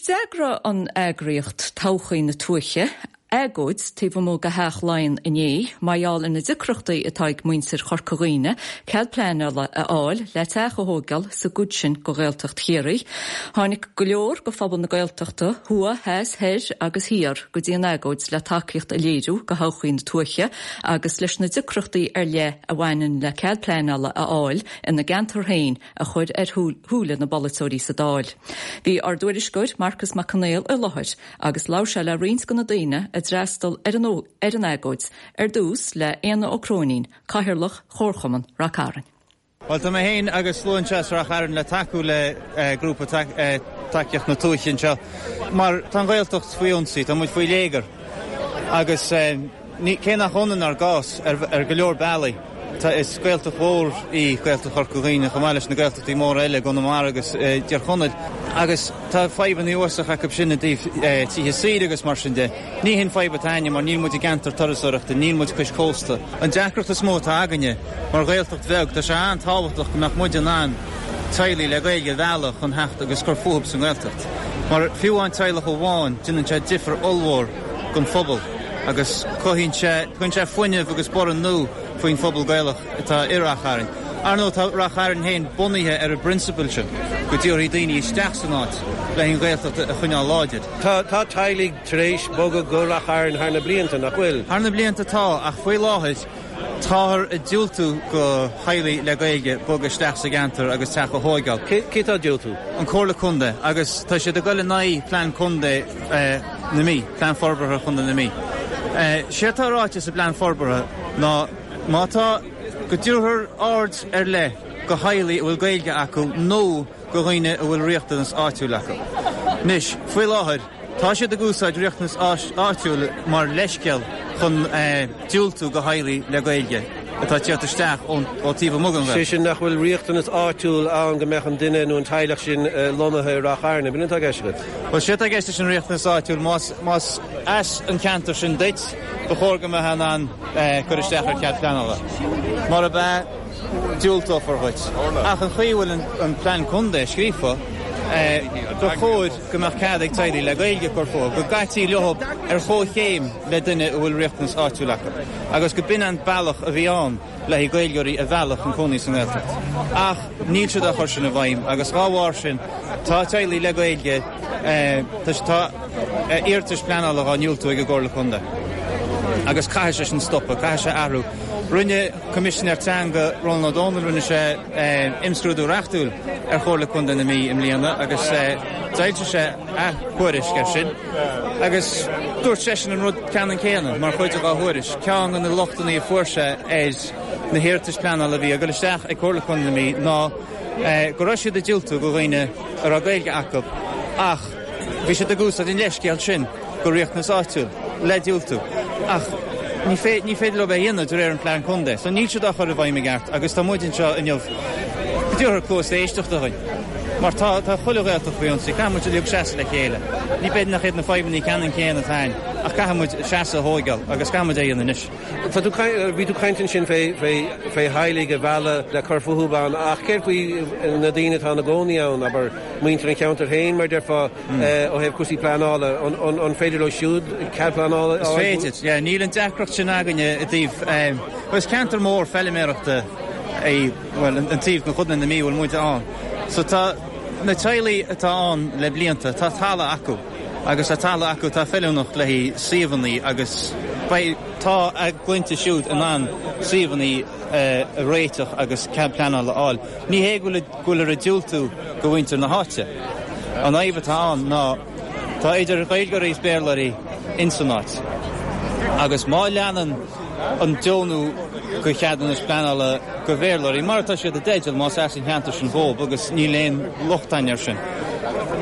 D'eagraigh an eagraíocht Todhchaí na Tuaithe agóid taobh amuigh de Theach Laighean inné mar gheall ar na deacrachtaí atá ag muintir Chorca Dhuibhne cead pleanála a fháil le teach a thóigeáil sa gcuid sin de Ghaeltacht Chiarraí. Tháinig go leor de phobal na Gaeltachta, thuaidh, theas, thoir agus thiar, go dtí an agóid le tacaíocht a léiriú do Thodhchaí na Tuaithe agus leis na deacrachtaí ar leith a bhaineann le cead pleanála a fháil ina gceantar féin a chur ar shúile na bpolaiteoirí sa Dáil. Bhí ár dtuairisceoir Marcas Mac Conghail i láthair agus labhair sé le roinnt de na daoine a d'fhreastal ar an ar an agóid, ar dtús le Éanna Ó Cróinín, Cathaoirleach Chomharchumann Rath Cairn. Bhuel, tá mé féin agus slua anseo as Rath Chairn le tacú le grúpa Tacaíocht na Tuaithe anseo mar tá an Ghaeltacht faoi ionsaí, tá muid faoi léigear agus cé nach ionann ár gcás ar go leor bealaí, tá, is Gaeltacht mhór í Gaeltacht Chorca Dhuibhne chomh maith leis na Gaeltachtaí móra eile i gConamara agus i dTír Chonaill agus tá fadhbanna uafásach acu sin i dtaobh tithe saoire agus mar sin de. Ní hin fadhb atá againne mar níl muid i gceantar turasóireachta, níl muid cois cósta. An deacracht is mó atá againne mar Ghaeltacht bheag, tá sé an-tábhachtach go mbeadh muid in ann teaghlaigh le Gaeilge a mhealladh chun theacht agus cur fúthu sa nGaeltacht. Mar fiú amháin teaghlach amháin, déanann sé difear ollmhór don phobal agus cothaíonn sé, tugann sé fuinneamh agus borradh nua faoin phobal Gaelach atá i Rath Chairn. Ar ndóigh tá Rath Chairn féin bunaithe ar an bprionsabal sin, go dtabharfaí daoine isteach san áit le an Ghaeltacht a choinneáil láidir. Tá tá teaghlaigh tar éis bogadh go Rath Chairn thar na blianta, nach bhfuil? Thar na blianta tá, ach faoi láthair táthar ag diúltú go theaghlaigh le Gaeilge bogadh isteach sa gceantar agus teach a thóigeáil. Cé cé atá ag diúltú? An Comhairle Contae agus tá siad ag dul in aghaidh Plean Contae na Mí, Plean Forbartha Chontae na Mí. Séard atá ráite sa bPlean Forbartha ná má tá, go dtabharfar aird ar leith go theaghlaigh a bhfuil Gaeilge acu nó go dhaoine a bhfuil riachtanas áitiúil acu. Anois, faoi láthair, tá siad ag úsáid riachtanas áitiúil mar leithscéal chun diúltú go theaghlaigh le Gaeilge atá ag tíocht isteach ó taobh amuigh den Ghaeltacht. Sé sin nach bhfuil riachtanas áitiúil ann go mbeadh an duine nó an teaghlach sin lonnaithe i Rath Chairn. Ab in atá i gceist agat? Bhuel, sé atá i gceist leis an riachtanas áitiúil, más, más as an cheantar sin duit, ba chóir go mbeifeá in ann cur isteach ar chead pleanála. Murab ea, diúltófar dhuit. Ach an chaoi a bhfuil an plean contae scríofa, ba chóir go mbeadh cead ag teaghlaigh le Gaeilge cur fúthu, go gcaití leo ar chomhchéim le duine a bhfuil riachtanas áitiúil acu, agus go b'in an bealach a bhí ann le haghaidh Gaeilgeoirí a mhealladh chun cónaí sa nGaeltacht. Ach níl siad á chur sin i bhfeidhm agus dhá bharr sin tá teaghlaigh le Gaeilge, tá iarratais pleanála dhá ndiúltú ag an gComhairle Contae agus caithfidh sé sin stopadh, caithfidh sé athrú. Rinne. Coimisinéir Teanga Rónán Ó Domhnaill, rinne sé imscrúdú reachtúil ar Chomhairle Contae na Mí i mbliana agus d'fhoilsigh sé a thuairisc air sin agus dúirt seisean an rud ceannann céanna mar chuid dá thuairisc. Ceann de na lochtanna a fuair sé ar na hiarratais pleanála a bhí ag dul isteach ag Comhairle Contae na Mí ná go raibh siad ag diúltú go dhaoine a raibh Gaeilge acu ach bhí siad ag úsáid an leithscéal sin go riachtanas áitiúil le diúltú ach ní ní féidir leo é a dhéanamh de réir an plean contae so níl siad á chur i bhfeidhm i gceart agus tá muid anseo inniu go dtabharfar cluas éisteachta dhuinn mar tá tá chuile Ghaeltacht faoi ionsaí caithfidh muid uilig seasamh le chéile ní b'fhéidir nach iad na fadhbanna ceannann céanna atá againn ach caithfidh muid seasamh a thóigeáil agus caithfidh muid é a dhéanamh anois. Tá tú bhí tú caint ansin fé fé fé theaghlaigh a mhealladh le cur fúthu ann ach céard faoi na daoine atá ina gcónaí ann abair muintir an cheantair féin mar déarfá Ó thaobh cúrsaí pleanála, an féidir leo siúd cead pleanála a fháil? Is féidir, yeah. Níl an deacracht sin againne i dtaobh, bhuel is ceantar mór feiliméarachta é, bhuel, an taobh de Chontae na Mí a bhfuil muide ann. So tá na teaghlaigh atá ann le blianta, tá talamh acu agus tá talamh acu atá feiliúnach le haghaidh suíomhanna agus beidh, tá a gclainne siúd in ann suíomhanna a réiteach agus cead pleanála a fháil. Ní hé go bhfuil, go bhfuiltear ag diúltú go mhuintir na háite. An fhadhb atá ann ná tá idir Ghaeilgeoirí is Béarlóirí ins an áit agus má leanann an deonú go cheadúnas pleanála go Bhéarlóirí, mar atá siad i dteideal más as an cheantar sin dhóibh agus níl aon locht againn air sin,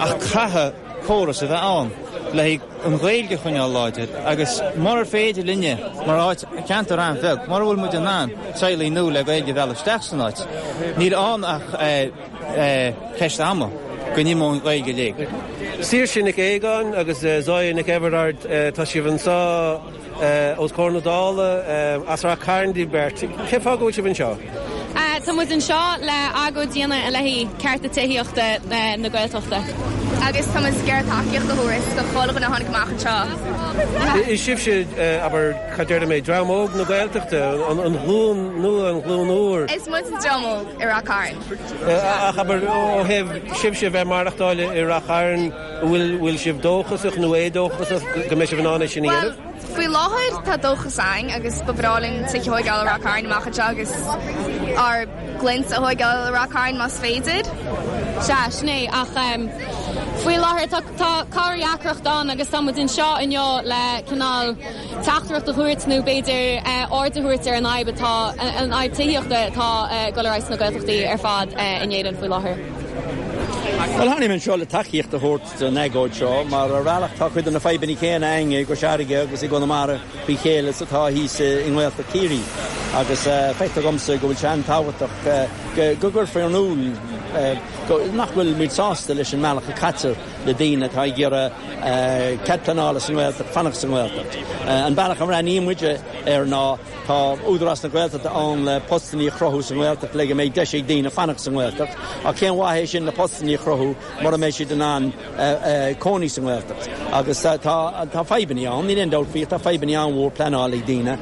ach caithfidh córas a bheith ann le haghaidh an Ghaeilge a choinneáil láidir agus murar féidir linne, mar áit, ceantar an-bheag, mura bhfuil muid in ann teaghlaigh nua le Gaeilge a mhealladh isteach san áit, níl ann ach ceist ama go n-imeoidh an Ghaeilge i léig. Saoirse Nic Aogáin agus Zoya Nic Eibheardaird, tá sibh anseo os comhair na Dála, as Rath Cairn daoibh beirt. Cén fáth go bhfuil sibh anseo? Tá muid anseo le agóid a dhéanamh i leith cearta tithíochta na Gaeltachta. Agus tá muid ag iarraidh tacaíocht a thabhairt do chuile dhuine a tháinig amach anseo. Is sibhse, abair, cad déarfaidh mé, dream óg na Gaeltachta, an ghlúin nua, an ghlúin úr. Is muid an dream óg i Rath Cairn. Ach abair, ó thaobh sibhse a bheith maireachtáil i Rath Chairn, bhfuil sibh dóchasach nó éadóchasach go mbeidh sibh in ann é sin a dhéanamh? Bhuel, faoi láthair tá dóchas againn agus ba bhreá linn tithe a thóigeáil i Rath Cairn amach anseo agus ár gclann a thóigeáil i Rath Cairn más féidir. Sea, sin é, ach faoi láthair tá tá corrdheacracht ann agus tá muid anseo inniu le cineál teachtaireacht a thabhairt nó b'fhéidir aird a thabhairt ar an fhadhb atá, an fhadhb tithíochta atá ag dul ar aghaidh sna Gaeltachtaí ar fad in Éirinn faoi láthair. Bhuel, tháinig mé anseo le tacaíocht a thabhairt don agóid seo mar ar bhealach tá cuid de na fadhbanna céanna againn i gCois Fharraige agus i gConamara faoi chéile is atá thíos i nGaeltacht Chiarraí agus feictear dhomsa go bhfuil sé an-tábhachtach go gcuirfear in iúl nach bhfuil muid sásta leis an mbealach a caitear le daoine atá ag iarraidh cead pleanála sa nGaeltacht fanacht sa nGaeltacht. An bealach a mbreathnaíonn muide air ná tá Údarás na Gaeltachta ann le postannaí a chruthú sa nGaeltacht le go mbeidh deis ag daoine fanacht sa nGaeltacht ach cén mhaith é sin na postannaí a chruthú mura mbeidh siad in ann cónaí sa nGaeltacht. Agus tá fadhbannaí ann, níl aon dabht faoi, tá fadhbannaí an-mhór pleanála ag daoine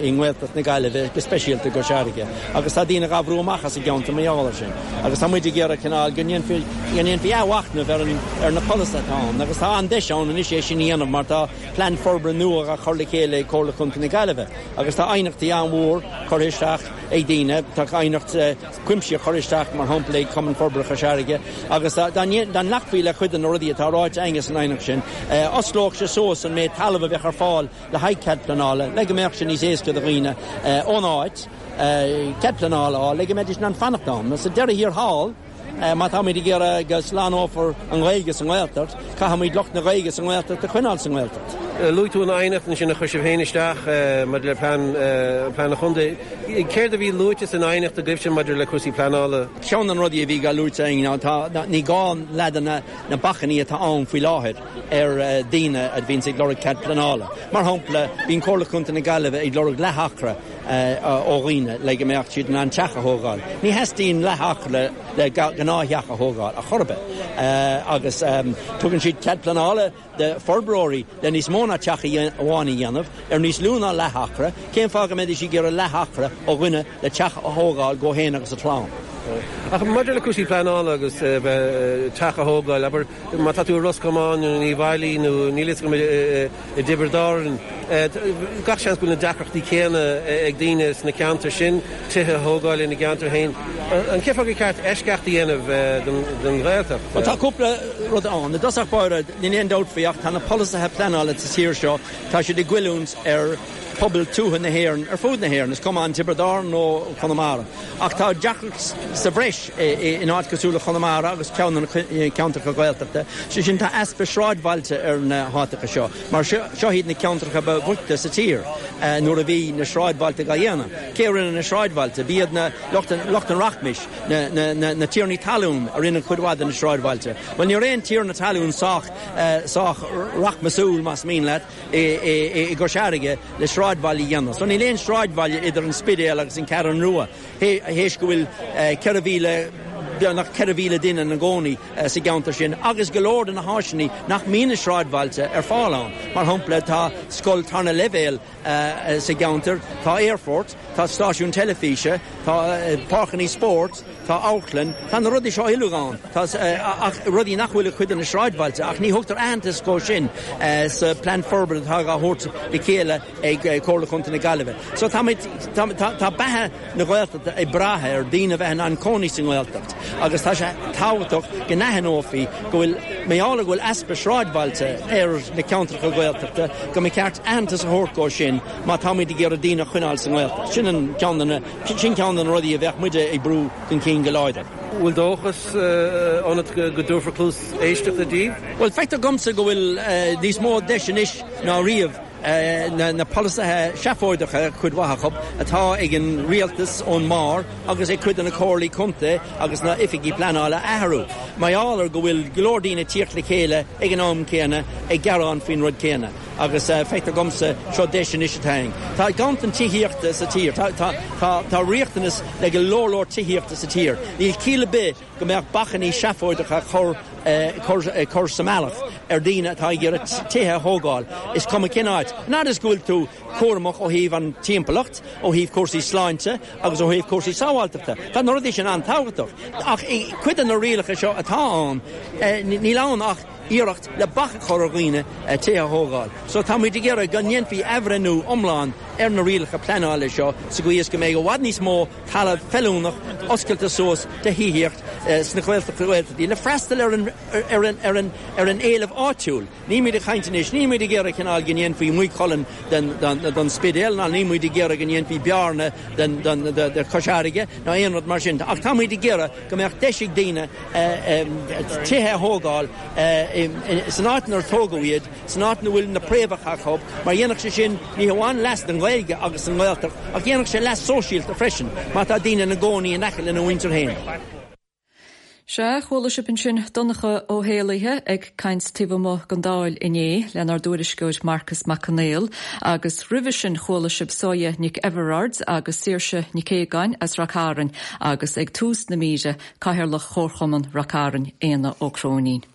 i nGaeltacht na Gaillimhe, go speisialta i gCois Fharraige. Agus tá daoine dhá bhrú amach as an gceantar mar gheall air sin. Agus tá muid ag iarraidh cineál go ndéanfaí, go ndéanfaí athmhachnamh ar an, ar na polasaithe atá ann. Agus tá an-deis ann anois é sin a dhéanamh mar tá plean forbartha nua dhá chur le chéile ag Comhairle Chontae na Gaillimhe. Agus tá aighneachtaí an-mhór curtha isteach ag daoine, tá aighneacht, cuimsitheach curtha isteach, mar shampla, ag Cumann Forbartha Chois Fharraige, agus dá nglacfaí le cuid de na rudaí atá ráite againne san aighneacht sin, osclódh sé suas an méid talaimh a bheadh ar fáil le haghaidh cead pleanála, le go mbeadh sé níos éasca do dhaoine ón áit cead pleanála a fháil, le go mbeidís in ann fanacht ann. Sa deireadh thiar thall, má táimid ag iarraidh go slánófar an Ghaeilge sa nGaeltacht, caithfimid lucht na Gaeilge sa nGaeltacht a choinneáil sa nGaeltacht. Luaigh tú an aighneacht ansin a chuir sibh féin isteach maidir le plean an chontae. Céard a bhí luaite san aighneacht agaibhse maidir le cúrsaí pleanála? Ceann de na rudaí a bhí dhá luaite againn ná tá, ní gá leath de na bacainní atá ann faoi láthair ar daoine a bhíonns ag lorg cead pleanála. Mar shampla, bíonn Comhairle Contae na Gaillimhe ag lorg leath-acra ó dhaoine le go mbeadh siad in ann teach a thógáil. Ní theastaíonn leath-acra le gnáth-theach a thógáil, ar chor ar bith. Agus tugann siad cead pleanála do forbróirí le níos mó ná teach amháin a dhéanamh ar níos lú ná leath-acra, cén fáth go mbeidís ag iarraidh leath-acra ó dhuine le teach a thógáil dhó féin agus a chlann? Ach maidir le cúrsaí pleanála agus teach a thógáil, abair, má tá tú i Ros Comáin nó in Uíbh Fhailí nó níl fhios agam i dTiobraid Árann, gach seans go bhfuil na deacrachtaí céanna ag daoine sna ceantair sin, tithe a thógáil ina gceantar féin. An cén fáth gur ceart eisceacht a dhéanamh don Ghaeltacht? Bhuel, tá cúpla rud ann. I dtosach báire, Níl aon dabht faoi ach tá na polasaithe pleanála sa tír seo, tá siad ag goilliúint ar phobal tuaithe na hÉireann ar fud na hÉireann, is cuma an Tiobraid Árann nó Conamara. Ach tá deacracht sa bhreis in áit cosúil le Conamara agus ceann de na ceantracha Gaeltachta, sé sin tá easpa sráidbhailte ar na háiteacha seo mar seo iad na ceantracha ba bhoichte sa tír nuair a bhí na sráidbhailte dhá dhéanamh. Cé a rinne na sráidbhailte? B'iad na lucht an rachmais, na tiarnaí talún a rinne cuid mhaith de na sráidbhailte. Bhuel, ní raibh aon tiarna talún sách, sách rachmasúil, más mian leat, i gCois Fharraige le sráidbhaile a dhéanamh. So níl aon sráidbhaile idir an Spidéal agus an Cheathrú Rua, théis go bhfuil 4,000, beagnach 4,000 duine ina gcónaí sa gceantar sin agus go leor de na háiseanna nach mbíonn i sráidbhailte ar fáil ann. Mar shampla, tá scoil tarna leibhéal sa gceantar, tá aerfort, tá stáisiún teilifíse, tá páirceanna spóirt, Tá amharclann, tá na rudaí seo uilig ann, tá ach rudaí nach bhfuil i cuid de na sráidbhailte ach ní thugtar aitheantas dhó sin sa plean forbartha atá á thabhairt le chéile ag Comhairle Chontae na Gaillimhe. So táimid, tá, tá beatha na Gaeltachta ag brath ar daoine a bheith in ann cónaí sa nGaeltacht agus tá sé tábhachtach go n-aithneofaí go bhfuil, mar gheall ar go bhfuil easpa sráidbhailte ar na ceantracha Gaeltachta, go mba cheart aitheantas a thabhairt dhó sin má táimid ag iarraidh daoine a choinneáil sa nGaeltacht. Sin an ceann de na. Sin ceann de na rudaí a bheadh muide ag brú chun cinn go láidir. Bhfuil dóchas ionat go dtabharfar cluas éisteachta daoibh? Bhuel, feictear dhomsa go bhfuil níos mó deis anois ná riamh na polasaithe seafóideacha, cuid mhaith acu, atá ag an rialtas ón mbarr agus ag cuid de na comhairlí contae agus na oifigí pleanála a athrú. Mar gheall ar go bhfuil go leor daoine ag tíocht le chéile ag an am céanna ag gearán faoin rud céanna. Agus feictear dhomsa, seo deis anois atá againn. Tá ganntan tithíochta sa tír. Tá, tá, tá, tá riachtanas le go leor leor tithíochta sa tír. Níl ciall ar bith go mbeadh bacainní seafóideacha á chur cur sa mbealach ar daoine atá ag iarraidh tithe a thógáil, is cuma cén áit. An fhad is go bhfuil tú cúramach ó thaobh an timpeallacht, ó thaobh cúrsaí sláinte agus ó thaobh cúrsaí sábháilteachta. Tá na rudaí sin an-tábhachtach. Ach cuid de na rialacha seo atá ann, níl ann ach iarracht le bac a chur ar dhaoine tithe a thógáil. So tá muid ag iarraidh go ndéanfaí athbhreithniú iomlán ar na rialacha pleanála seo sa gcaoi is go mbeidh i bhfad níos mó talamh feiliúnach oscailte suas do thithíocht sna Gaeltachtaí le freastal ar an ar an ar an ar an éileamh áitiúil. Níl muid ag caint anois, níl muid ag iarraidh cineál go ndéanfaí Maigh Cuilinn den den Spidéal ná níl muid ag iarraidh go ndéanfaí Bearna den den de Chois Fharraige ná aon rud mar sin ach tá muid ag iarraidh go mbeadh deis ag daoine tithe a thógáil san áit inar tógadh iad, san áit ina bhfuil na préamhacha acu, mar dhéanfadh sé sin ní hamháin leas don Ghaeilge agus don Ghaeltacht ach dhéanfadh sé leas sóisialta freisin má tá daoine ina gcónaí in aice lena mhuintir féin. Sea, chuala sibh ansin Donncha Ó hÉallaithe ag caint taobh amuigh den Dáil inné lenár dtuairisceoir Marcas Mac Conghail agus roimhe sin chuala sibh Soya Nic Eibhearáird agus Saoirse Nic Aogáin as Rath Cairn agus ag tús na míre, Cathaoirleach Chomharchumann Rath Cairn, Éanna Ó Cróinín.